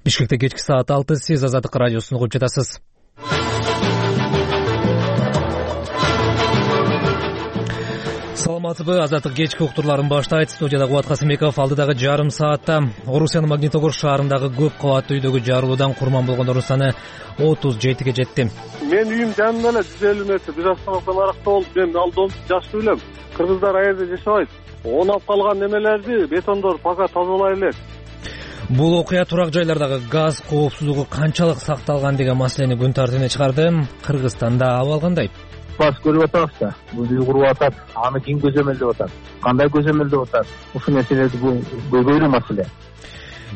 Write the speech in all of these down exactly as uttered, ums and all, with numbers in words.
Бишкекте кечки саат алты, сиз Азаттык радиосун угуп жатасыз. Саламатсызбы, Азаттык кечки уктурларын баштайт. Студияда Кубат Касымбеков. Алдыдагы жарым саатта Орусиянын Магнитогорск шаарындагы көп кабаттуу үйдөгү жарылуудан курман болгондордун саны отуз жетиге жетти. Мен үйүм жанында эле жүз элүү метр бир остановкадан аракта болуп, мен ал дом жашып элем. Кыргыздар аерде жашабайт. Онап калган немелерди бетондор пока тазалай элек. Бул окуя турак жайлардагы газ коопсуздугу канчалык сакталган деген маселени күн тартибине чыгарды. Кыргызстанда абал кандай? Бас көрүп атабыз да. Бул үй куруп атат. Аны ким көзөмөлдөп атат? Кандай көзөмөлдөп атат? Ушул маселеди бул көйгөйлүү маселе.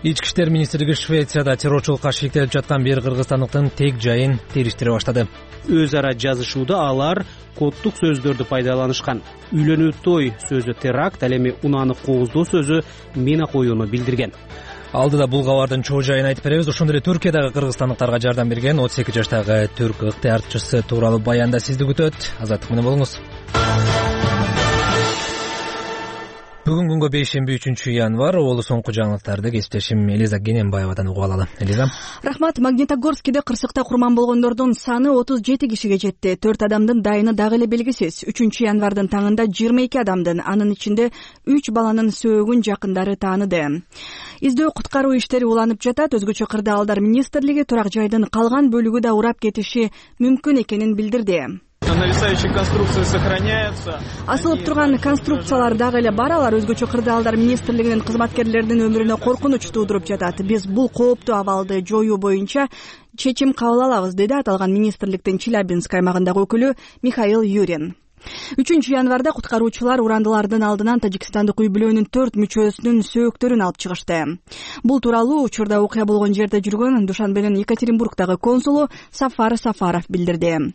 Ички иштер министрлиги Швецияда террорчулукка шектелип жаткан бир кыргызстандыктын тег жайын териштире баштады. Өз ара жазышууда алар коддук сөздөрдү пайдаланышкан. Үйлөнүү той сөзү теракт, ал эми унааны кооздоо сөзү мина коюуну билдирген. Алдыда бул кабардын чоо жайын айтып беребиз. Ошондой эле Түркиядагы кыргызстандыктарга жардам берген отуз эки жаштагы түрк ыктыярчысы тууралуу баянда сизди күтөт. Азаттык менен болуңуз. Бүгүн күнгө бейшемби үчүнчү январь. Олу соңку жаңылыктарды кесиптешим Элиза Гененбаевадан угуп алалы. Элиза. Рахмат. Магнитогорскиде кырсыкта курман болгондордун саны отуз жети кишиге жетти. төрт адамдын дайыны дагы эле белгисиз. үчүнчү январдын таңында жыйырма эки адамдын, анын ичинде үч баланын сөөгүн жакындары тааныды. Издөө куткаруу иштери уланып жатат. Өзгөчө кырдаалдар министрлиги турак жайдын калган бөлүгү да урап кетиши мүмкүн экенин билдирди. Нависающие конструкции сохраняются. Асылып турган конструкциялар дагы эле бар. Алар өзгөчө кырдаалдар министрлигинин кызматкерлеринин өмүрүнө коркунуч туудуруп жатат. Биз бул кооптуу абалды жоюу боюнча чечим кабыл алабыз, деди аталган министрликтин Челябинск аймагындагы өкүлү Михаил Юрин. үчүнчү январда куткаруучулар урандылардын алдынан тажикстандык үй бүлөнүн төрт мүчөсүнүн сөөктөрүн алып чыгышты. Бул тууралуу учурда окуя болгон жерде жүргөн Душанбенин Екатеринбургдагы консулу Сафар Сафаров билдирди.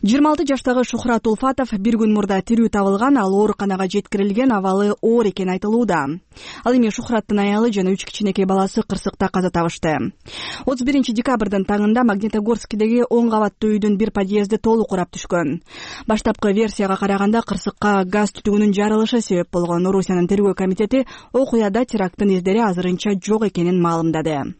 жыйырма алты жаштагы Шухрат Улфатов бир күн мурда тирүү табылган, ал ооруканага жеткирилген, абалы оор экени айтылууда. Ал эми Шухраттын аялы жана үч кичинекей баласы кырсыкта каза табышты. отуз биринчи декабрдын таңында Магнитогорскидеги он кабаттуу үйдүн бир подъезди толук урап түшкөн. Баштапкы версияга караганда кырсыкка газ түтүгүнүн жарылышы себеп болгон. Орусиянын тергөө комитети окуяда теракттын издери азырынча жок экенин маалымдады.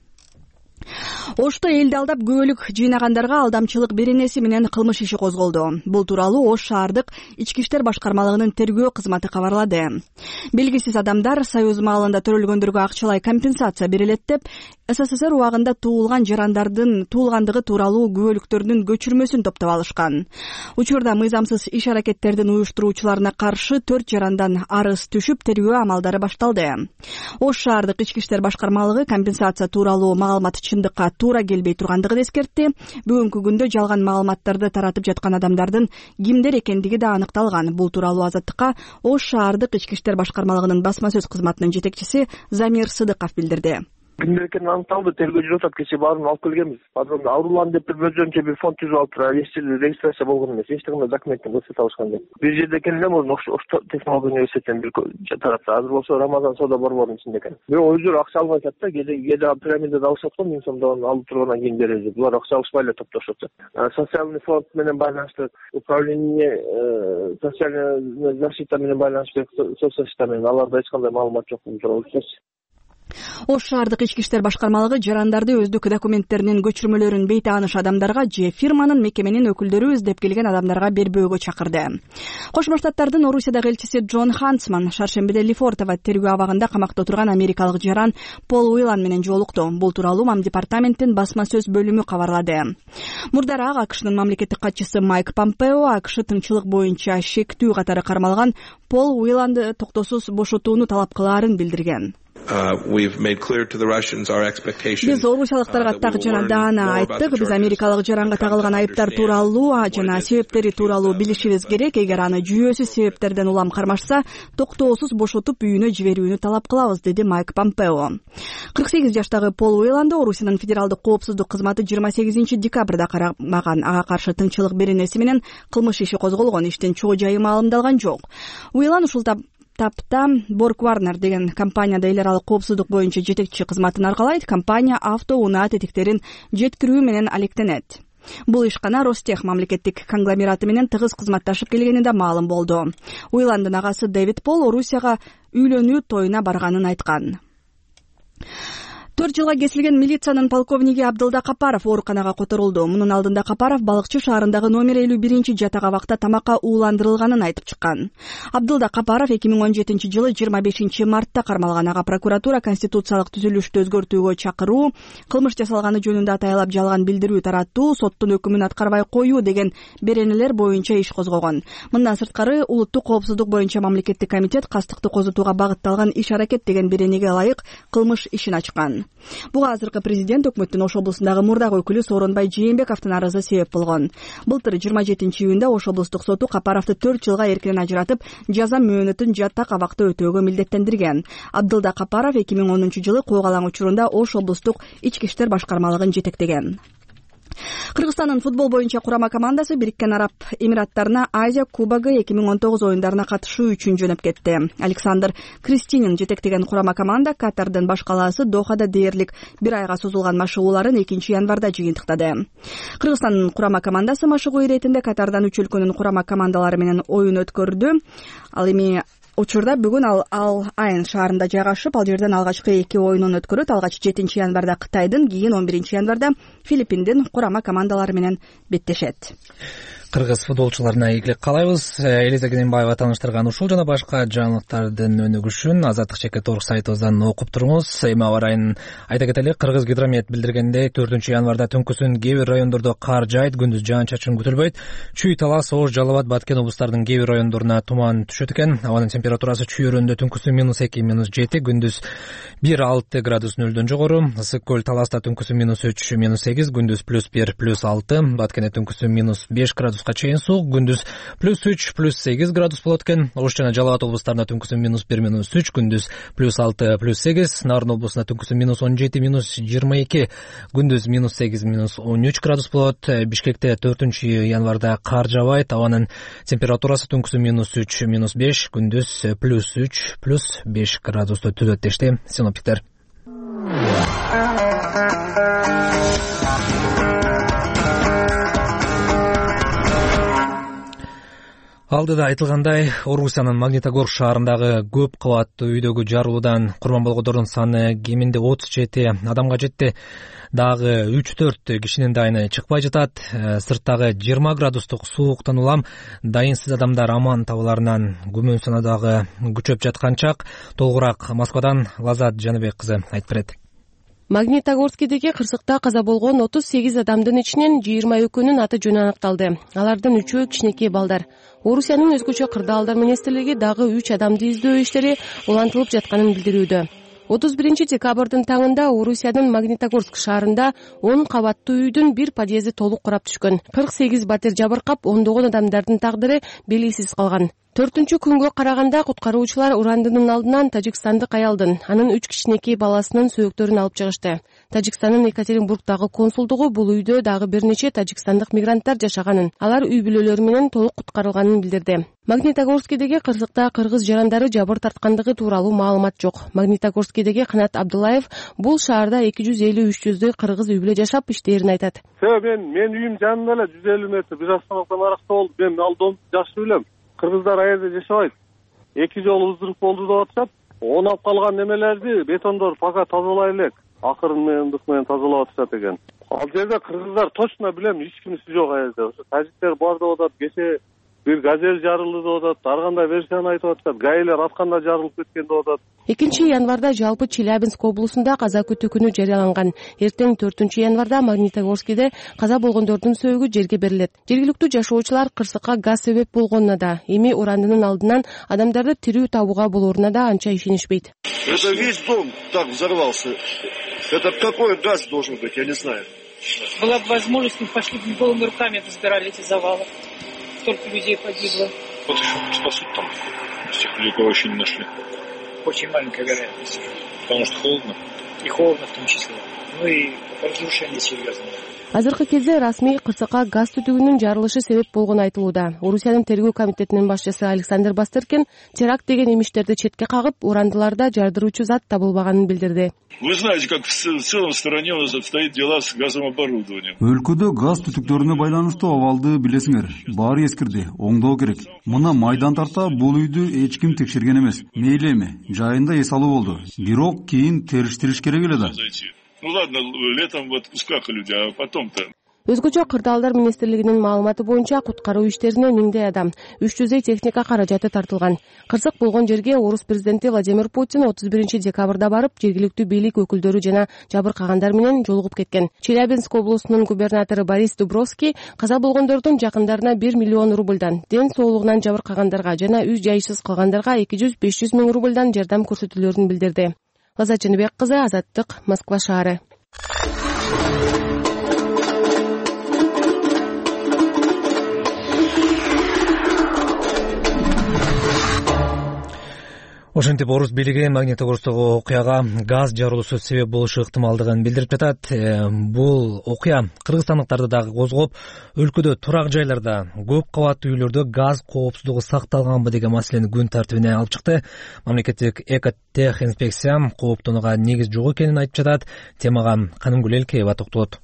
Ошто элди алдап күбөлүк жыйнагандарга алдамчылык беренеси менен кылмыш иши козголду. Бул тууралуу Ош шаардык ички иштер башкармалыгынын тергөө кызматы кабарлады. Белгисиз адамдар Союз маалында төрөлгөндөргө акчалай компенсация берилет деп СССР убагында туулган жарандардын туулгандыгы тууралуу күбөлүктөрдүн көчүрмөсүн топтоп алышкан. Учурда мыйзамсыз иш аракеттердин уюштуруучуларына каршы төрт жарандан арыз түшүп, тергөө амалдары башталды. Ош шаардык ички иштер башкармалыгы компенсация тууралуу маалымат чындыкка туура келбей тургандыгын эскертти. Бүгүнкү күндө жалган маалыматтарды таратып жаткан адамдардын кимдер экендиги да аныкталган. Бул тууралуу Азаттыкка Ош шаардык ички иштер башкармалыгынын басма сөз кызматынын жетекчиси Замир Сыдыков билдирди. Кимдер экени аныкталды, тергөө жүрүп атат. Кечээ баарын алып келгенбиз. Азыр аурулан деп өзүнчө бир фонд түзүп алыптыр. Эч жерде регистрация болгон эмес. Эч кандай документин көрсөтө алышкан жок. Бир жерде экен эле мурун Ош технология университетинен бир таратса, азыр болсо Рамазан соода борборунун ичинде экен. Бирок өздөрү акча албай атат да, кээде кээде пирамидада алышат го, миң сомдон алып тургандан кийин беребиз. Булар акча алышпай эле топтошот. Социальный фонд менен байланыштык, управление социальная защита менен байланыштык, соцзащита менен аларда эч кандай маалымат жок бул тууралуу. Ош шаардык ички иштер башкармалыгы жарандарды өздүк документтеринин көчүрмөлөрүн бейтааныш адамдарга же фирманын, мекеменин өкүлдөрү издеп келген адамдарга бербөөгө чакырды. Кошмо Штаттардын Орусиядагы элчиси Джон Хансман шаршембиде Лефортово тергөө абагында камакта отурган америкалык жаран Пол Уилан менен жолукту. Бул тууралуу Мам департаменттин басма сөз бөлүмү кабарлады. Мурдараак АКШнын мамлекеттик катчысы Майк Помпео АКШ тынччылык боюнча шектүү катары кармалган Пол Уиланды токтосуз бошотууну талап кылаарын билдирген. Биз орусиялыктарга так жана даана айттык. Биз америкалык жаранга тагылган айыптар тууралуу жана себептери тууралуу билишибиз керек. Эгер аны жүйөсүз себептерден улам кармашса, токтоосуз бошотуп үйүнө жиберүүнү талап кылабыз, деди Майк Помпео. кырк сегиз жаштагы Пол Уиланды Орусиянын федералдык коопсуздук кызматы жыйырма сегизинчи декабрда карамаган. Ага каршы тынччылык беренеси менен кылмыш иши козголгон. Иштин чоо жайы маалымдалган жок. Уилан ушул тапта Борг Warner деген компанияда эл аралык коопсуздук боюнча жетекчи кызматын аркалайт. Компания авто унаа тетиктерин жеткирүү менен алектенет. Бул ишкана Ростех мамлекеттик конгломераты менен тыгыз кызматташып келгени да маалым болду. Уиландын агасы Дэвид Пол Орусияга үйлөнүү тоюна барганын айткан. төрт жылга кесилген милициянын полковниги Абдылда Капаров ооруканага которулду. Мунун алдында Капаров Балыкчы шаарындагы номер элүү биринчи жатак абакта тамакка ууландырылганын айтып чыккан. Абдылда Капаров эки миң он жетинчи жылы жыйырма бешинчи мартта кармалган. Ага прокуратура конституциялык түзүлүштү өзгөртүүгө чакыруу, кылмыш жасалганы жөнүндө атайлап жалган билдирүү таратуу, соттун өкүмүн аткарбай коюу деген беренелер боюнча иш козгогон. Мындан сырткары улуттук коопсуздук боюнча мамлекеттик комитет кастыкты козутууга багытталган иш-аракет деген беренеге ылайык кылмыш ишин ачкан. Буга азыркы президент өкмөттүн Ош облусундагы мурдагы өкүлү Сооронбай Жээнбековдун арызы себеп болгон. Былтыр жыйырма жетинчи июнда Ош облустук соту Капаровду төрт жылга эркинен ажыратып, жаза мөөнөтүн жатак абакта өтөөгө милдеттендирген. Абдылда Капаров эки миң онунчу жылы Куугалаң учурунда Ош облустук ички иштер башкармалыгын жетектеген. Кыргызстандын футбол боюнча курама командасы Бириккен Араб Эмираттарына Азия кубогу эки миң он тогуз оюндарына катышуу үчүн жөнөп кетти. Александр Кристинин жетектеген курама команда Катардын баш калаасы Дохада дээрлик бир айга созулган машыгууларын экинчи январда жыйынтыктады. Кыргызстандын курама командасы машыгуу иретинде Катардан үч өлкөнүн курама командалары менен оюн өткөрдү. Ал эми учурда бүгүн ал Ал Айн шаарында жайгашып, ал жерден алгачкы эки оюнун өткөрөт. Алгач жетинчи январда Кытайдын, кийин он биринчи январда Филиппиндин курама командалары менен беттешет. Кыргыз футболчуларына ийгилик каалайбыз. Элиза Кененбаева тааныштырган ушул жана башка жаңылыктардын өнүгүшүн Азаттык чекит орг сайтыбыздан окуп туруңуз. Эми аба ырайын айта кетели. Кыргыз гидромет билдиргендей, төртүнчү январда түнкүсүн кээ бир райондордо кар жаайт, күндүз жаан-чачын күтүлбөйт. Чүй, Талас, Ош, Жалал Абад, Баткен облустарынын кээ бир райондоруна туман түшөт экен. Абанын температурасы чүй өрөөндө түнкүсүн минус эки, минус жети, күндүз бир алты градус нөлдөн жогору. Ысык көл Таласта түнкүсүн минус үч, минус сегиз, күндүз плюс бир, плюс алты, Баткенде түнкүсүн минус беш градус чейин суук, күндүз плюс үч, плюс сегиз градус болот экен. Ош жана Жалал Абад облустарында түнкүсүн минус бир, минус үч, күндүз плюс алты, плюс сегиз, Нарын облусунда түнкүсүн минус он жети, минус жыйырма эки, күндүз минус сегиз, минус он үч градус болот. Бишкекте төртүнчү январда кар жаабайт, абанын температурасы түнкүсүн минус үч, минус беш, күндүз плюс үч, плюс беш градусту түзөт дешти синоптиктер. Алдыда айтылгандай, Орусиянын Магнитогорск шаарындагы көп кабаттуу үйдөгү жарылуудан курман болгондордун саны кеминде отуз жети адамга жетти. Дагы үч төрт кишинин дайыны чыкпай жатат. Сырттагы жыйырма градустук сууктан улам дайынсыз адамдар аман табыларынан күмөн санадагы күчөп жаткан чак. Толугураак Москвадан Лазат Жаныбек кызы айтып берет. Магнитогорскидеги кырсыкта каза болгон отуз сегиз адамдын ичинен жыйырма экөөнүн аты жөнү аныкталды. Алардын үчөө кичинекей балдар. Орусиянын өзгөчө кырдаалдар министрлиги дагы үч адамды издөө иштери улантылып жатканын билдирүүдө. отуз биринчи декабрдын таңында Орусиянын Магнитогорск шаарында он кабаттуу үйдүн бир подъезди толук курап түшкөн. кырк сегиз батир жабыркап, ондогон адамдардын тагдыры белгисиз калган. Төртүнчү күнгө караганда куткаруучулар урандынын алдынан тажикстандык аялдын, анын үч кичинекей баласынын сөөктөрүн алып чыгышты. Тажикстандын Екатеринбургдагы консулдугу бул үйдө дагы бир нече тажикстандык мигранттар жашаганын, алар үй бүлөлөрү менен толук куткарылганын билдирди. Магнитогорскидеги кырсыкта кыргыз жарандары жабыр тарткандыгы тууралуу маалымат жок. Магнитогорскидеги Канат Абдуллаев бул шаарда эки жүз элүү үч жүздөй кыргыз үй бүлө жашап иштээрин айтат. Мен мен үйүм жанында эле жүз элүү метр бир автоматтан аракта болду. Мен ал домду жакшы билем. Кыргыздар аерде жашабайт. Эки жолу ыздырып болду деп атышат. Онап калган немелерди бетондор пока тазалай элек. Акырын менен ындык менен тазалап атышат экен. Ал жерде кыргыздар точно билем, эч кимиси жок аерде. Ошо тажиктер бар деп атат. Кече бир газель жарылды деп атат. Ар кандай версияны айтып атышат. Гаилер атканда жарылып кеткен деп атат. экинчи январда жалпы Челябинск облусунда каза күтүү күнү жарыяланган. Эртең төртүнчү январда Магнитогорскиде каза болгондордун сөөгү жерге берилет. Жергиликтүү жашоочулар кырсыкка газ себеп болгонуна да, эми урандынын алдынан адамдарды тирүү табууга болоруна да анча ишенишпейт. Это весь дом так взорвался. Это какой газ должен быть, я не знаю. Была бы возможность, мы пошли бы голыми руками разбирали эти завалы. Столько людей погибло. Вот еще спасут там. Всех людей, кого еще не нашли. Очень маленькая вероятность. Потому что холодно. И холодно в том числе. Ну и разрушение серьезное. азыркы кезде расмий кырсыкка газ түтүгүнүн жарылышы себеп болгону айтылууда. Орусиянын тергөө комитетинин башчысы Александр Бастеркин теракт деген имиштерди четке кагып, урандыларда жардыруучу зат табылбаганын билдирди. Вы знаете, как в целом стране у нас обстоят дела с газовым оборудованием. Өлкөдө газ түтүктөрүнө байланыштуу абалды билесиңер. Баары эскирди, оңдоо керек. Мына майдан тарта бул үйдү эч ким текшерген эмес. Мейли эми, жайында эс алуу болду. Бирок кийин териштириш керек эле да. Ну ладно, летом в отпусках люди, а потом-то... Өзгөчө кырдаалдар министрлигинин маалыматы боюнча куткаруу иштерине миңдей адам, үч жүздөй техника каражаты тартылган. Кырсык болгон жерге орус президенти Владимир Путин отуз биринчи декабрда барып, жергиликтүү бийлик өкүлдөрү жана жабыркагандар менен жолугуп кеткен. Челябинск облусунун губернатору Борис Дубровский каза болгондордун жакындарына бир миллион рубльдан, ден соолугунан жабыркагандарга жана үй жайсыз калгандарга эки жүз беш жүз миң рубльдан жардам көрсөтүлөрүн билдирди. Лаза Чыныбек кызы, Азаттык, Москва шаары. Ошентип орус бийлиги Магнитогорсдогу окуяга газ жарылуусу себеп болушу ыктымалдыгын билдирип жатат. Бул окуя кыргызстандыктарды дагы козгоп, өлкөдө турак жайларда, көп кабаттуу үйлөрдө газ коопсуздугу сакталганбы деген маселени күн тартибине алып чыкты. Мамлекеттик экотех инспекция кооптонууга негиз жок экенин айтып жатат. Темага Канымгүл Элкеева токтолот.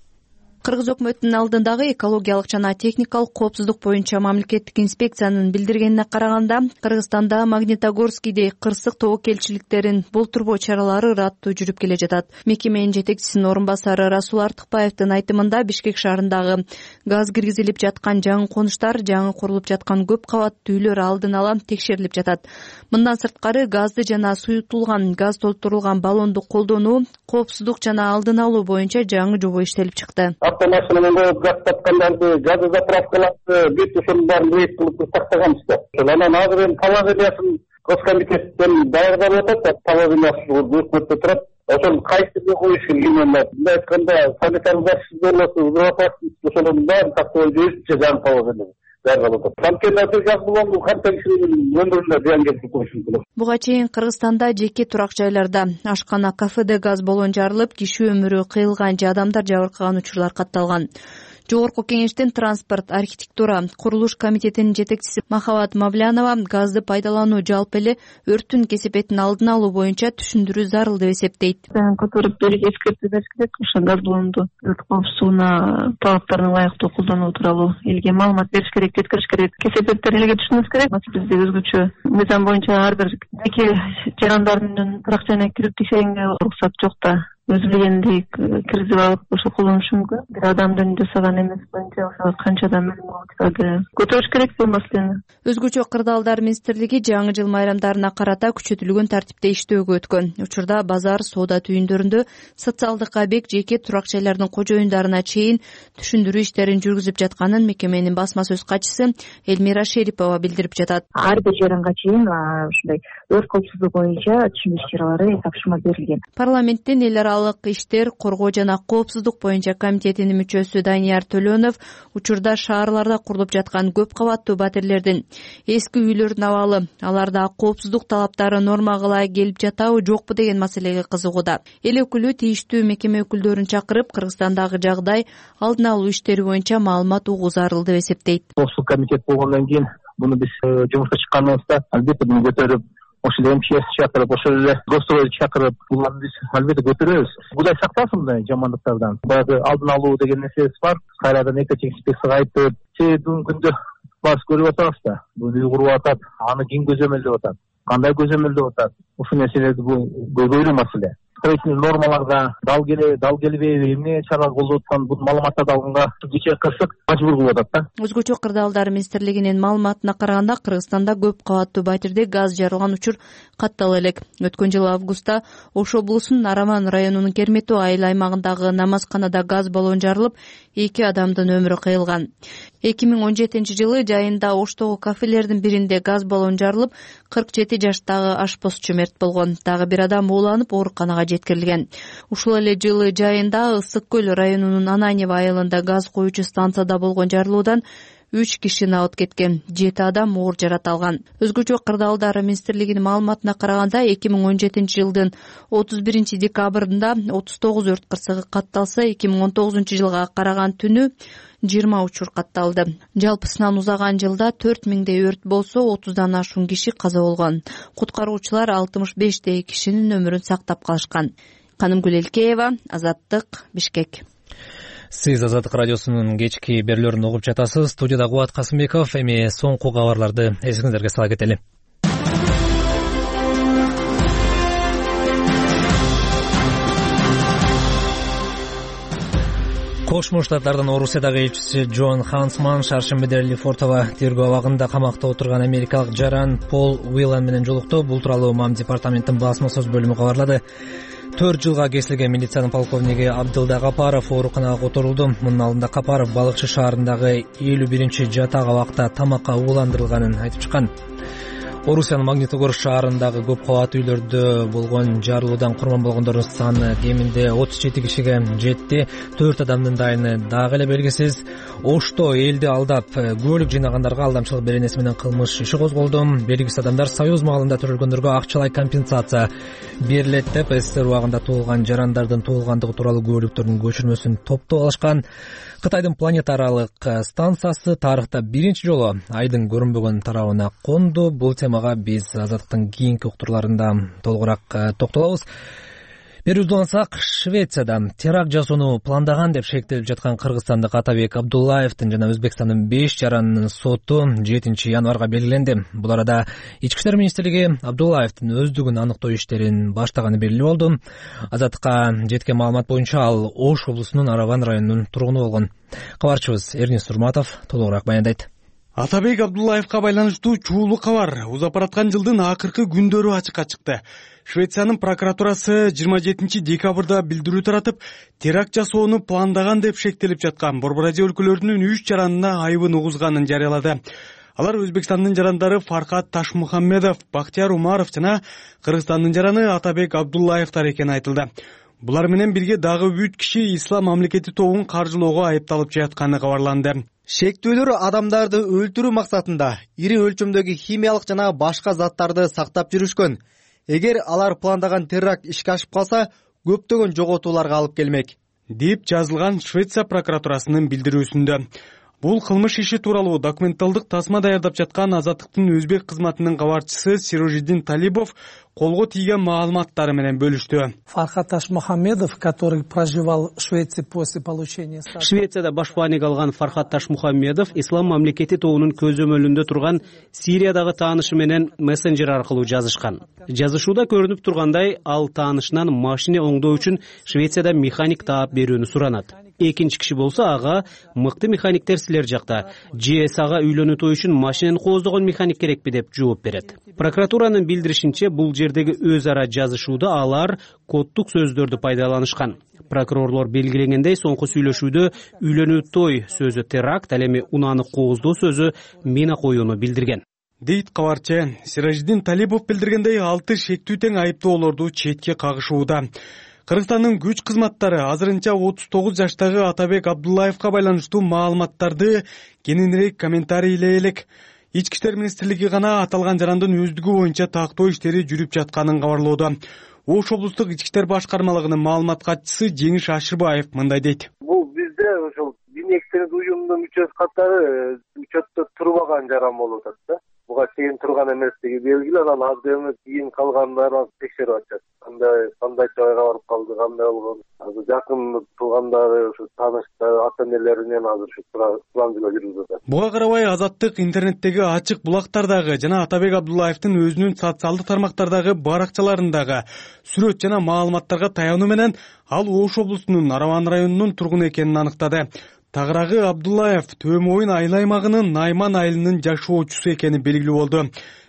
Кыргыз өкмөтүнүн алдындагы экологиялык жана техникалык коопсуздук боюнча мамлекеттик инспекциянын билдиргенине караганда, Кыргызстанда Магнитогорскийдей кырсык тобокелчиликтерин болтурбоо чаралары ыраттуу жүрүп келе жатат. Мекеменин жетекчисинин орун басары Расул Артыкбаевдин айтымында, Бишкек шаарындагы газ киргизилип жаткан жаңы конуштар, жаңы курулуп жаткан көп кабаттуу үйлөр алдын ала текшерилип жатат. Мындан сырткары газды жана суютулган газ толтурулган баллонду колдонуу, коопсуздук жана алдын алуу боюнча жаңы жобо иштелип чыкты. Автомашинаны коюп газ тапкандарды, газы заправкаларды бүт ошонун баарын рейд кылып тактаганбыз да. Анан азыр эми положениясын Госкомитеттен даярдап атат, положениясы өкмөттө турат. Ошону кайсыга коюш керек именно. Мындай айтканда, санитар защита, безопасность ошонун баарын тактабай жүрүшчү жаңы положение. Буга чейин Кыргызстанда жеке турак жайларда, ашкана, кафеде газ баллон жарылып, киши өмүрү кыйылган же адамдар жабыркаган учурлар катталган. Жогорку кеңештин транспорт, архитектура, курулуш комитетинин жетекчиси Махабат Мавлянова газды пайдалануу жалпы эле өрттүн кесепетин алдын алуу боюнча түшүндүрүү зарыл деп эсептейт. Которуп берип эскертүү бериш керек, ошо газ баллонду өрт коопсуздугуна талаптарына ылайыктуу колдонуу тууралуу элге маалымат бериш керек, жеткириш керек. Кесепеттерди элге түшүнүш керек. Бизде өзгөчө мыйзам боюнча ар бир жеке жарандардын турак жайына кирип текшергенге уруксат жок да. Өзү билгендей киргизип алып ошо колдонушу мүмкүн. Бир адамдын жасаган эмес боюнча ошо канча адам өлүм болуп көтөрүш керек бул маселени. Өзгөчө кырдаалдар министрлиги жаңы жыл майрамдарына карата күчөтүлгөн тартипте иштөөгө өткөн. Учурда базар, соода түйүндөрүндө социалдык объект, жеке турак жайлардын кожоюндарына чейин түшүндүрүү иштерин жүргүзүп жатканын мекеменин басма сөз катчысы Элмира Шерипова билдирип жатат. Ар бир жаранга чейин ушундай өрт коопсуздугу боюнча түшүндүрүү чаралары тапшырма берилген. Парламенттин эл аралык иштер, коргоо жана коопсуздук боюнча комитетинин мүчөсү Данияр Төлөнов учурда шаарларда курулуп жаткан көп кабаттуу батирлердин эски үйлөрүнүн абалы, аларда коопсуздук талаптары нормага ылайык келип жатабы, жокпу деген маселеге кызыгууда. Эл өкүлү тийиштүү мекеме өкүлдөрүн чакырып, Кыргызстандагы жагдай, алдын алуу иштери боюнча маалымат угуу зарыл деп эсептейт. Ошол комитет болгондон кийин муну биз жумушка чыкканыбызда албетте муну көтөрүп, ошол эмчи чакырып, ошол эле гостовойду чакырып, буларды биз албетте көтөрөбүз. Кудай сактасын мындай жамандыктардан. Баягы алдын алуу деген нерсебиз бар. Кайрадан экотех инспекцияга айтып, себеби бүгүнкү күндө баары көрүп атабыз да. Бул үй куруп атат, аны ким көзөмөлдөп атат, кандай көзөмөлдөп атат. Ушул нерселерди бул көйгөйлүү маселе. Строительный нормаларга дал келе, дал келбейби, эмне чара колдоп аткан бул маалыматтарды алганга кечээ кырсык мажбур кылып атат да. Өзгөчө кырдаалдар министрлигинин маалыматына караганда, Кыргызстанда көп кабаттуу батирде газ жарылган учур каттала элек. Өткөн жылы августта Ош облусунун Нараман районунун Кермету айыл аймагындагы намазканада газ баллон жарылып, эки адамдын өмүрү кыйылган. эки миң он жетинчи жылы жайында Оштогу кафелердин биринде газ баллон жарылып, кырк жети жаштагы ашпозчу мерт болгон. Дагы бир адам ууланып, ооруканага жеткирилген. Ушул эле жылы жайында Ысык көл районунун Ананьево айылында газ коюучу станцияда болгон жарылуудан үч киши набыт кеткен, жети адам оор жаракат алган. Өзгөчө кырдаалдар министрлигинин маалыматына караганда эки миң он жетинчи жылдын отуз биринчи декабрында отуз тогуз өрт кырсыгы катталса, эки миң он тогузунчу жылга караган түнү жыйырма учур катталды. Жалпы сынан узаган жылда төрт миңдей өрт болсо, отуздан ашуун киши каза болгон. Куткаруучулар алтымыш бештей кишинин өмүрүн сактап калышкан. Канымгүл Элкеева, Азаттык, Бишкек. Сиз Азаттык радиосунун кечки берүүлөрүн угуп жатасыз. Студияда Кубат Касымбеков. Эми соңку кабарларды эсиңиздерге сала кетели. Кошмо Штаттардын Орусиядагы элчиси Джон Хансман шаршембиде Лефортово тергөө абагында камакта отурган америкалык жаран Пол Уиллан менен жолукту. Бул тууралуу МАМ департаментинин басма сөз бөлүмү кабарлады. төрт жылга кесилген милициянын полковниги Абдылда Капаров ооруканага которулду. Мунун алдында Капаров Балыкчы шаарындагы элүү биринчи жатак абакта тамакка ууландырылганын айтып чыккан. Орусиянын Магнитогорск шаарындагы көп кабаттуу үйлөрдө болгон жарылуудан курман болгондордун саны кеминде отуз жети кишиге жетти. төрт адамдын дайыны дагы эле белгисиз. Ошто элди алдап көлүк жыйнагандарга алдамчылык беренеси менен кылмыш иши козголду. Белгисиз адамдар союз маалында төрөлгөндөргө акчалай компенсация берилет деп СССР убагында туулган жарандардын туулгандыгы тууралуу көлүктөрдүн көчүрмөсүн топтоп алышкан. Кытайдын планета аралык станциясы тарыхта биринчи жолу айдын көрүнбөгөн тарабына конду. Бул темага биз Азаттыктын кийинки уктурларында толугураак токтолобуз. Берүүбүздү улантсак, Швецияда теракт жасоону пландаган деп шектелип жаткан кыргызстандык Атабек Абдуллаевдин жана Өзбекстандын беш жаранынын соту жетинчи январга белгиленди. Бул арада Ички иштер министрлиги Абдуллаевдин өздүгүн аныктоо иштерин баштаганы белгилүү болду. Азаттыкка жеткен маалымат боюнча ал Ош облусунун Араван районунун тургуну болгон. Кабарчыбыз Эрнис Сурматов толугураак баяндайт. Атабек Абдуллаевка байланыштуу чуулуу кабар узап бараткан жылдын акыркы күндөрү ачыкка чыкты. Швециянын прокуратурасы жыйырма жетинчи декабрда билдирүү таратып, теракт жасоону пландаган деп шектелип жаткан Борбор Азия өлкөлөрүнүн үч жаранына айыбын угузганын жарыялады. Алар Өзбекстандын жарандары Фархат Ташмухаммедов, Бактияр Умаров жана Кыргызстандын жараны Атабек Абдуллаевтар экени айтылды. Булар менен бирге дагы үч киши Ислам мамлекети тобун каржылоого айыпталып жатканы кабарланды. Шектүүлөр адамдарды өлтүрүү максатында ири өлчөмдөгү химиялык жана башка заттарды сактап жүрүшкөн. Эгер алар пландаган теракт ишке ашып калса, көптөгөн жоготууларга алып келмек, деп жазылган Швеция прокуратурасынын билдирүүсүндө. Бул кылмыш иши тууралуу документалдык тасма даярдап жаткан Азаттыктын өзбек кызматынын кабарчысы Сирожиддин Талибов колго тийген маалыматтары менен бөлүштү. Фархат Ташмухаммедов, который проживал в Швеции после получения... Швецияда башпаанник алган Фархат Ташмухаммедов Ислам мамлекети тобунун көзөмөлүндө турган Сириядагы таанышы менен мессенджер аркылуу жазышкан. Жазышууда көрүнүп тургандай, ал таанышынан машина оңдоо үчүн Швецияда механик таап берүүнү суранат. Экинчи киши болсо ага мыкты механиктер силер жакта, же ага үйлөнүү той үчүн машинени кооздогон механик керекпи деп жооп берет. Прокуратуранын билдиришинче, бул жердеги өз ара жазышууда алар коддук сөздөрдү пайдаланышкан. Прокурорлор белгилегендей, соңку сүйлөшүүдө үйлөнүү той сөзү теракт, ал эми унааны кооздоо сөзү мина коюуну билдирген. Дейт кабарчы. Сиражиддин Талибов билдиргендей, алты шектүү тең айыптоолорду четке кагышууда. Кыргызстандын күч кызматтары азырынча отуз тогуз жаштагы Атабек Абдуллаевка байланыштуу маалыматтарды кененирээк комментарийлей элек. Ички иштер министрлиги гана аталган жарандын өздүгү боюнча тактоо иштери жүрүп жатканын кабарлоодо. Ош облустук ички иштер башкармалыгынын маалымат катчысы Жеңиш Ашырбаев мындай дейт. Бул бизде ошол диний экстремист уюмдун мүчөсү катары учетто турбаган жаран болуп атат да. Буга чейин турган эместиги белгилүү, анан азыр эми кийин калгандарын текшерип атышат. Кандай кандай жайга барып калды, кандай болгон. Азыр жакын туугандары, ушу тааныштары, ата-энелеринен азыр ушу сурамжылоо жүрүп атат. Буга карабай Азаттык интернеттеги ачык булактардагы жана Атабек Абдуллаевдин өзүнүн социалдык тармактардагы баракчаларындагы сүрөт жана маалыматтарга таянуу менен ал Ош облусунун Араван районунун тургуну экенин аныктады. Тагырагы Абдуллаев Төмөйүн айыл аймагынын Найман айылынын жашоочусу экени белгилүү болду.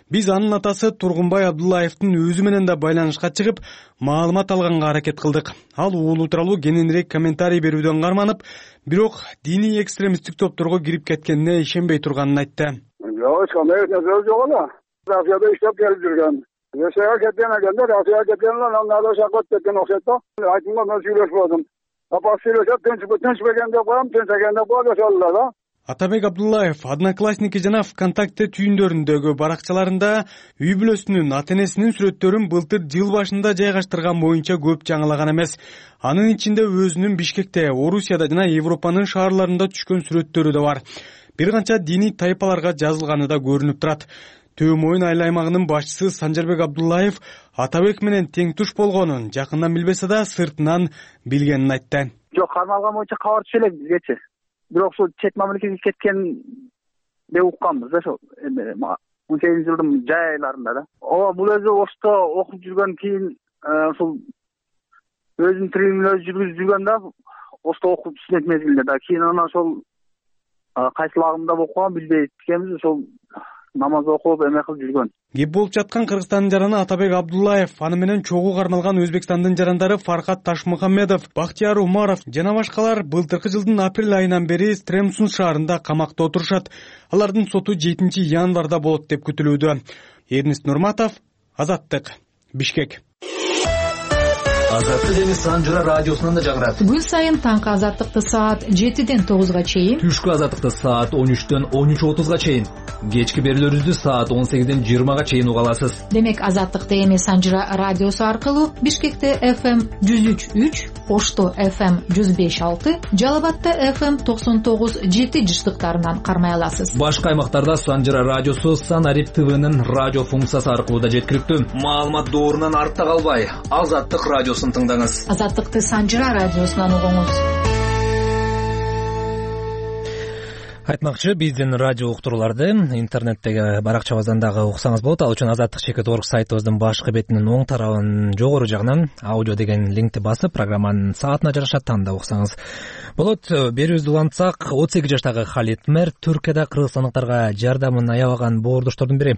Биз анын атасы Тургунбай Абдуллаевдин өзү менен да байланышка чыгып, маалымат алганга аракет кылдык. Ал уулу тууралуу кененирээк комментарий берүүдөн карманып, бирок диний экстремисттик топторго кирип кеткенине ишенбей турганын айтты. Жок, кандай нерсе жок эле. Россияда иштеп келип жүргөн. Россияга кеткен экенде, Россияга кеткенлер андан шакот кеткен окшойт да. Айтымга мен сүйлөшүп алдым. Апа сүйлөшөп, тынч тынч бергенде коем, тынч экенде коем ошолор да. Атабек Абдуллаев Одноклассники жана ВКонтакте түйүндөрүндөгү баракчаларында үй бүлөсүнүн ата энесинин сүрөттөрүн былтыр жыл башында жайгаштырган боюнча көп жаңылаган эмес. Анын ичинде өзүнүн Бишкекте, Орусияда жана Европанын шаарларында түшкөн сүрөттөрү да бар. Бир канча диний тайпаларга жазылганы да көрүнүп турат. Төө Моюн айыл аймагынын башчысы Санжарбек Абдуллаев Атабек менен тең туш болгонун жакындан билбесе да сыртынан билгенин айтты. Жок, кармалган боюнча кабар түшө элек бизгечи. Бирок ушул чет мамлекетке кеткен деп укканбыз да ошол он сегизинчи жылдын жай айларында да. Ооба, бул өзү Ошто окуп жүргөн кийин ушул өзүнүн тирилигин өзү жүргүзүп жүргөн да, Ошто окуп студент мезгилинде да. Кийин анан ошол кайсыл агымда окуган билбейт экенбиз, ошол намаз окуп эме кылып жүргөн. Кеп болуп жаткан Кыргызстандын жараны Атабек Абдуллаев, аны менен чогуу кармалган Өзбекстандын жарандары Фархат Ташмухаммедов, Бактияр Умаров жана башкалар былтыркы жылдын апрель айынан бери Стремсун шаарында камакта отурушат. Алардын соту жетинчи январда болот деп күтүлүүдө. Эрнест Нурматов, Азаттык, Бишкек. Азаттык эми Санжыра радиосунан да жаңырат. Күн сайын таңкы азаттыкты саат жетиден тогузга чейин, түшкү азаттыкты саат он үчтөн он үч отузга чейин, кечки берүүлөрүбүздү саат он сегизден жыйырмага чейин уга аласыз. Демек азаттыкты эми Санжыра радиосу аркылуу Бишкекте эф эм жүз үч үч, Ошто эф эм жүз беш алты, Жалал Абадта эф эм токсон тогуз жети жыштыктарынан кармай аласыз. Башка аймактарда Санжыра радиосу Санарип ТВнын радио функциясы аркылуу да жеткиликтүү. Маалымат доорунан артта калбай, Азаттык радиосун тыңдаңыз. Азаттыкты Санжыра радиосунан угуңуз. Айтмакчы, биздин радио уктурууларды интернеттеги баракчабыздан дагы уксаңыз болот. Ал үчүн азаттык чекит орг сайтыбыздын башкы бетинин оң тарабынын жогору жагынан аудио деген линкти басып, программанын саатына жараша тандап уксаңыз болот. Берүүбүздү улантсак, отуз эки жаштагы Халит Мер Түркияда кыргызстандыктарга жардамын аябаган боордоштордун бири.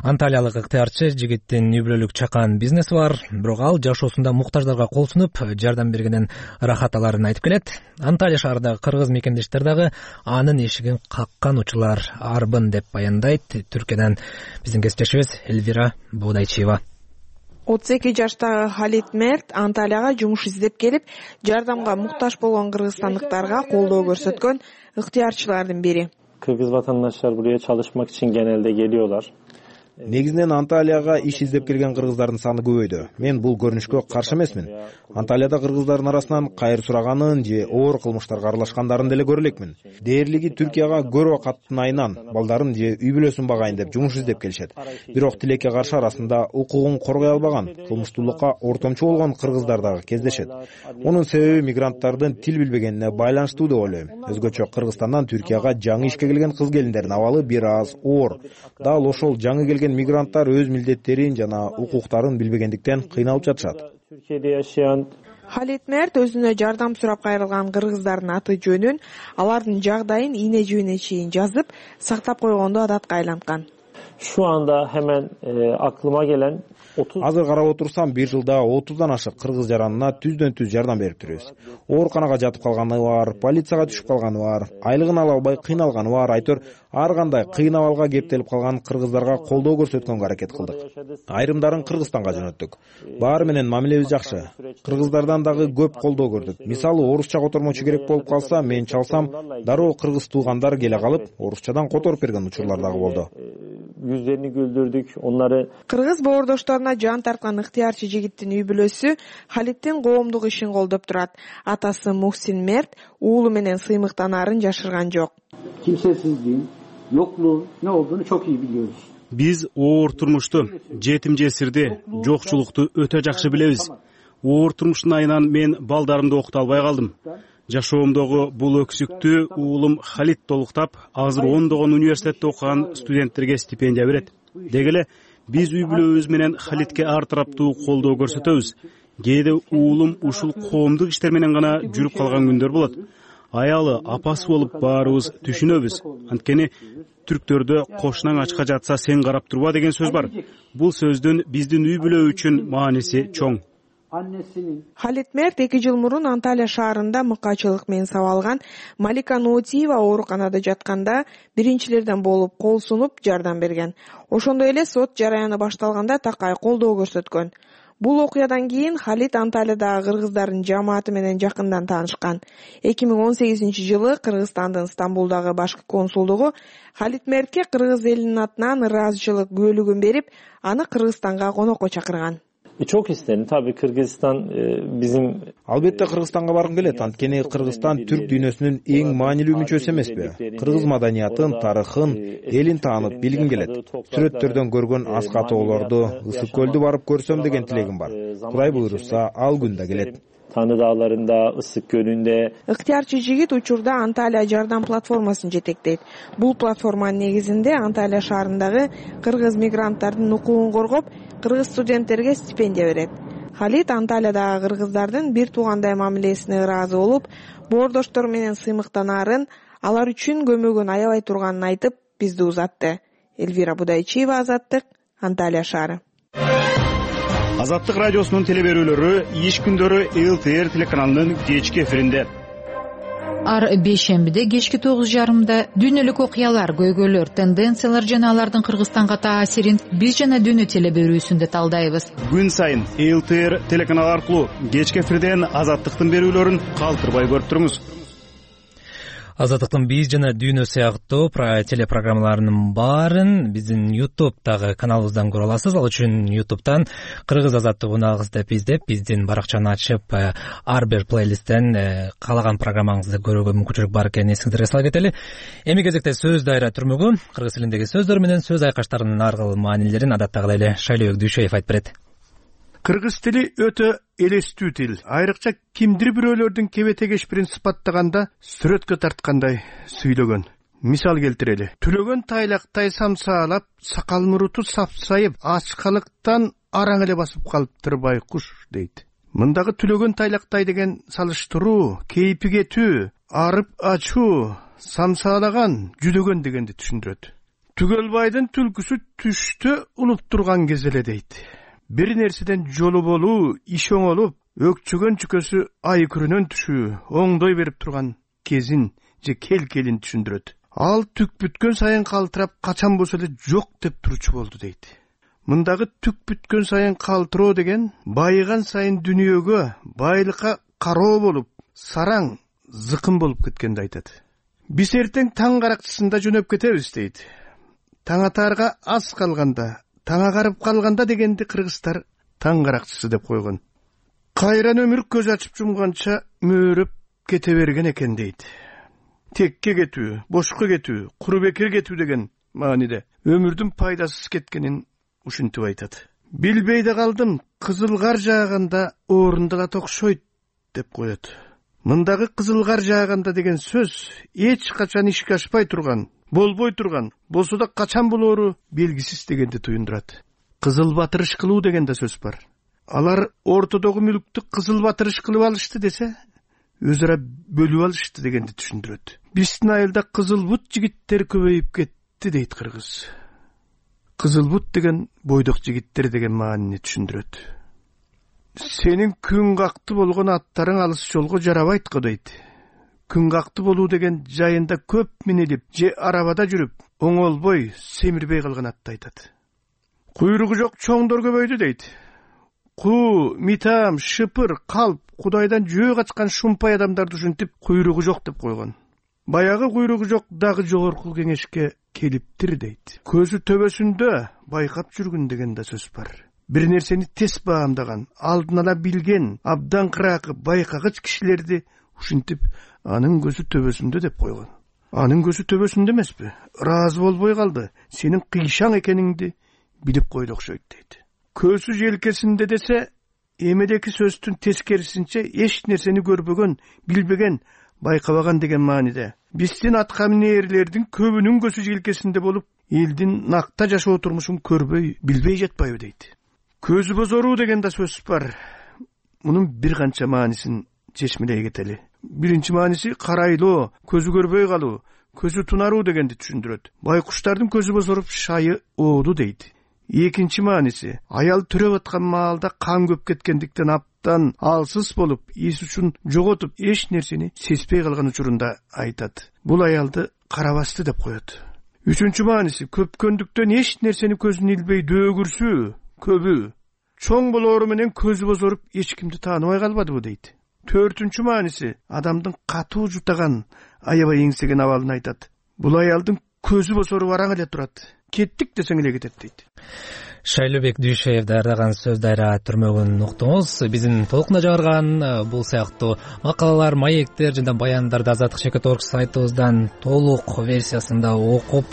Анталиялык ыктыярчы жигиттин үй бүлөлүк чакан бизнеси бар, бирок ал жашоосунда муктаждарга кол сунуп, жардам бергенин ырахат аларын айтып келет. Анталия шаарындагы кыргыз мекендештер дагы анын эшигин каккан учурлар арбын деп баяндайт. Түркиядан биздин кесиптешибиз Эльвира Боодайчиева. отуз эки жаштагы Халит Мерт Анталияга жумуш издеп келип, жардамга муктаж болгон кыргызстандыктарга колдоо көрсөткөн ыктыярчылардын бири. Kırgız vatandaşlar buraya çalışmak için genelde geliyorlar. Негизинен Анталияга иш издеп келген кыргыздардын саны көбөйдү. Мен бул көрүнүшкө каршы эмесмин. Анталияда кыргыздардын арасынан кайыр сураганын же оор кылмыштарга аралашкандарын деле көрө элекмин. Дээрлиги Түркияга көрө каттынайынан балдарын же үй бүлөсүн багайын деп жумуш издеп келишет. Бирок тилекке каршы арасында укугун коргой албаган, кылмыштуулукка ортомчу болгон кыргыздар дагы кездешет. Мунун себеби мигранттардын тил билбегенине байланыштуу деп ойлойм. Өзгөчө Кыргызстандан Түркияга жаңы ишке келген кыз келиндердин абалы бир аз оор. Дал ошол жаңы келген мигранттар өз милдеттерин жана укуктарын билбегендиктен кыйналып жатышат. Халит Мерт өзүнө жардам сурап кайрылган кыргыздардын аты жөнүн, алардын жагдайын ийне жибине чейин жазып, сактап койгонду адатка айланткан. Şu anda hemen e, aklıma gelen Азыр карап отурсам, бир жылда отуздан ашык кыргыз жаранына түздөн түз жардам берип турбуз. Ооруканага жатып калганы бар, полицияга түшүп калганы бар, айлыгын ала албай кыйналганы бар, айтор ар кандай кыйын абалга кептелип калган кыргыздарга колдоо көрсөткөнгө аракет кылдык. Айрымдарын Кыргызстанга жөнөттүк. Баары менен мамилебиз жакшы. Кыргыздардан дагы көп колдоо көрдүк. Мисалы, орусча котормочу керек болуп калса, мен чалсам, дароо кыргыз туугандар келе калып, орусчадан которуп берген учурлар дагы болду. Yüzlerini güldürdük, onları... Кыргыз боордошторуна жан тарткан ыктыярчы жигиттин үй бүлөсү Халиттин коомдук ишин колдоп турат. Атасы Мухсин Мерт уулу менен сыймыктанаарын жашырган жок. Kimsesizliğin, yokluğun ne olduğunu çok iyi biliyoruz. Биз оор турмушту, жетим жесирди, жокчулукту өтө жакшы билебиз. Оор турмуштун айынан мен балдарымды окута албай калдым. Жашоомдогу бул өксүктү уулум Халит толуктап, азыр ондогон университетте окуган студенттерге стипендия берет. Деги эле биз үй бүлөбүз менен Халитке ар тараптуу колдоо көрсөтөбүз. Кээде уулум ушул коомдук иштер менен гана жүрүп калган күндөр болот. Аялы, апасы болуп баарыбыз түшүнөбүз. Анткени түрктөрдө кошунаң ачка жатса сен карап турба деген сөз бар. Бул сөздүн биздин үй бүлө үчүн мааниси чоң. Халит Мерт эки жыл мурун Анталия шаарында мыкаачылык менен сабалган Малика Нуутиева ооруканада жатканда биринчилерден болуп кол сунуп жардам берген. Ошондой эле сот жараяны башталганда такай колдоо көрсөткөн. Бул окуядан кийин Халид Анталиядагы кыргыздардын жамааты менен жакындан таанышкан. эки миң он сегизинчи жылы Кыргызстандын Стамбулдагы башкы консулдугу Халид Мертке кыргыз элинин атынан ыраазычылык күбөлүгүн берип, аны Кыргызстанга конокко чакырган. Çok isterim. Tabii Kırgızistan bizim... Албетте Кыргызстанга баргым келет. Анткени Кыргызстан түрк дүйнөсүнүн эң маанилүү мүчөсү эмеспи? Кыргыз маданиятын, тарыхын, элин таанып билгим келет. Сүрөттөрдөн көргөн ас катоолорду, Ысык көлдү барып көрсөм деген тилегим бар. Кудай буйруса, ал күн да келет. Tanrı Dağları'nda, Issık Gölü'nde. Ыктыярчы жигит учурда Анталия жардам платформасын жетектейт. Бул платформанын негизинде Анталия шаарындагы кыргыз мигранттардын укугун коргоп, кыргыз студенттерге стипендия берет. Халид Анталиядагы кыргыздардын бир туугандай мамилесине ыраазы болуп, боордоштор менен сыймыктанаарын, алар үчүн көмөгүн аябай турганын айтып, бизди узатты. Эльвира Будайчиева, Азаттык, Анталия шаары. Азаттык радиосунун телеберүүлөрү иш күндөрү эл тэ эр телеканалынын кечки эфиринде. Ар бейшембиде кечки тогуз жарымда дүйнөлүк окуялар, көйгөйлөр, тенденциялар жана алардын Кыргызстанга таасирин биз жана дүйнө телеберүүсүндө талдайбыз. Күн сайын эл тэ эр телеканалы аркылуу кечки эфирден Азаттыктын берүүлөрүн калтырбай көрүп туруңуз. Азаттыктын биз жана дүйнө сыяктуу телепрограммаларынын баарын биздин ютубтагы каналыбыздан көрө аласыз. Ал үчүн ютубтан Кыргыз Азаттык унагыз деп издеп, биздин баракчаны ачып, ар бир плейлисттен каалаган программаңызды көрүүгө мүмкүнчүлүк бар экенин эсиңиздерге сала кетели. Эми кезекте сөз дайра түрмөгү кыргыз тилиндеги сөздөр менен сөз айкаштарынын ар кыл маанилерин адаттагыдай эле Шайлообек Дүйшөев айтып берет. Кыргыз тили өтө элестүү тил. Айрыкча кимдир бирөөлөрдүн кебете кешпирин сыпаттаганда, сүрөткө тарткандай сүйлөгөн. Мисал келтирели. Түлөгөн тайлактай самсаалап, сакал муруту сапсайып, ачкалыктан араң эле басып калыптыр байкуш дейт. Мындагы түлөгөн тайлактай деген салыштыруу, кейпи кетүү, арып ачуу, самсаалаган, жүдөгөн дегенди түшүндүрөт. Түгөлбайдын түлкүсү түштө улуп турган кез эле дейт. Бир нерседен жолу болуу, иш оңолуп, өкчөгөн чүкөсү ай күрөнөн түшүү, оңдой берип турган кезин же кел-келин түшүндүрөт. Ал түк бүткөн сайын калтырап, качан болсо эле жок деп турчу болду дейт. Мындагы түк бүткөн сайын калтыроо деген байыган сайын дүнүйөгө, байлыкка кароо болуп, сараң, зыкым болуп кеткенди айтат. Биз эртең таң каракчысында жөнөп кетебиз дейт. Таң атаарга аз калганда, таң агарып калганда дегенди кыргыздар таң каракчысы деп койгон. Кайран өмүр көз ачып жумганча мөөрөп кете берген экен дейт. Текке кетүү, бошко кетүү, куру бекер кетүү деген мааниде өмүрдүн пайдасыз кеткенин ушинтип айтат. Билбей да калдым, кызыл кар жааганда орындалат окшойт деп коет. Мындагы кызыл кар жааганда деген сөз эч качан ишке ашпай турган, болбой турган, болсо да качан болоору белгисиз дегенди туюндурат. Кызыл батырыш кылуу деген да сөз бар. Алар ортодогу мүлктү кызыл батырыш кылып алышты десе, өз ара бөлүп алышты дегенди түшүндүрөт. Биздин айылда кызыл бут жигиттер көбөйүп кетти дейт кыргыз. Кызыл бут деген бойдок жигиттер деген маанини түшүндүрөт. Сенин күн какты болгон аттарың алыс жолго жарабайт го дейт. Күн какты болуу деген жайында көп минилип, же арабада жүрүп, оңолбой, семирбей калган атты айтат. Куйругу жок чоңдор көбөйдү дейт. Куу, митам, шыпыр, калп, Кудайдан жөө качкан шумпай адамдарды ушинтип куйругу жок деп койгон. Баягы куйругу жок дагы жогорку кеңешке келиптир дейт. Көзү төбөсүндө байкап жүргүн деген да сөз бар. Бир нерсени тез баамдаган, алдын ала билген, абдан кыракы, байкагыч кишилерди ушинтип анын көзү төбөсүндө деп койгон. Анын көзү төбөсүндө эмеспи? Ыраазы болбой калды. Сенин кыйшаң экениңди билип койду окшойт дейт. Көзү желкесинде десе, эмедеки сөздүн тескерисинче эч нерсени көрбөгөн, билбеген, байкабаган деген мааниде. Биздин атка минээрлердин көбүнүн көзү желкесинде болуп, элдин накта жашоо турмушун көрбөй, билбей жатпайбы дейт. Көзү бозоруу деген да сөз бар. Мунун бир канча маанисин чечмелей кетели. Биринчи мааниси карайлоо, көзү көрбөй калуу, көзү тунаруу дегенди түшүндүрөт. Байкуштардын көзү бозоруп шайы ооду дейт. Экинчи мааниси аял төрөп аткан маалда кан көп кеткендиктен аптан алсыз болуп, эс үчүн жоготуп, эч нерсени сезбей калган учурунда айтат. Бул аялды карабасты деп коет. Үчүнчү мааниси көпкөндүктөн эч нерсени көзүн илбей дөөгүрсүү, көбү, чоң болоору менен көзү бозоруп эч кимди тааныбай калбадыбы дейт. Төртүнчү мааниси адамдын катуу жутаган, аябай эңсеген абалын айтат. Бул аялдын көзү бозоруп араң эле турат. Кеттик десең эле кетет дейт. Шайлообек Дүйшеев даярдаган сөз дайра түрмөгүн уктуңуз. Биздин толкунда жарган бул сыяктуу макалалар, маектер жана баяндарды азаттык чекит орг сайтыбыздан толук версиясында окуп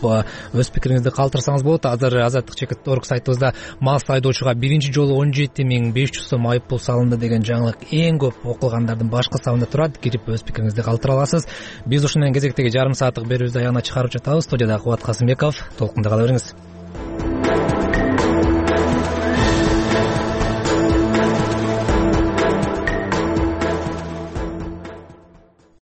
өз пикириңизди калтырсаңыз болот. Азыр азаттык чекит орг сайтыбызда мас айдоочуга биринчи жолу он жети миң беш жүз сом айып пул салынды деген жаңылык эң көп окулгандардын башкы сабында турат. Кирип өз пикириңизди калтыра аласыз. Биз ушунун кезектеги жарым сааттык берүүбүздү аягына чыгарып жатабыз. Студияда Кубат Касымбеков. Толкунда кала бериңиз.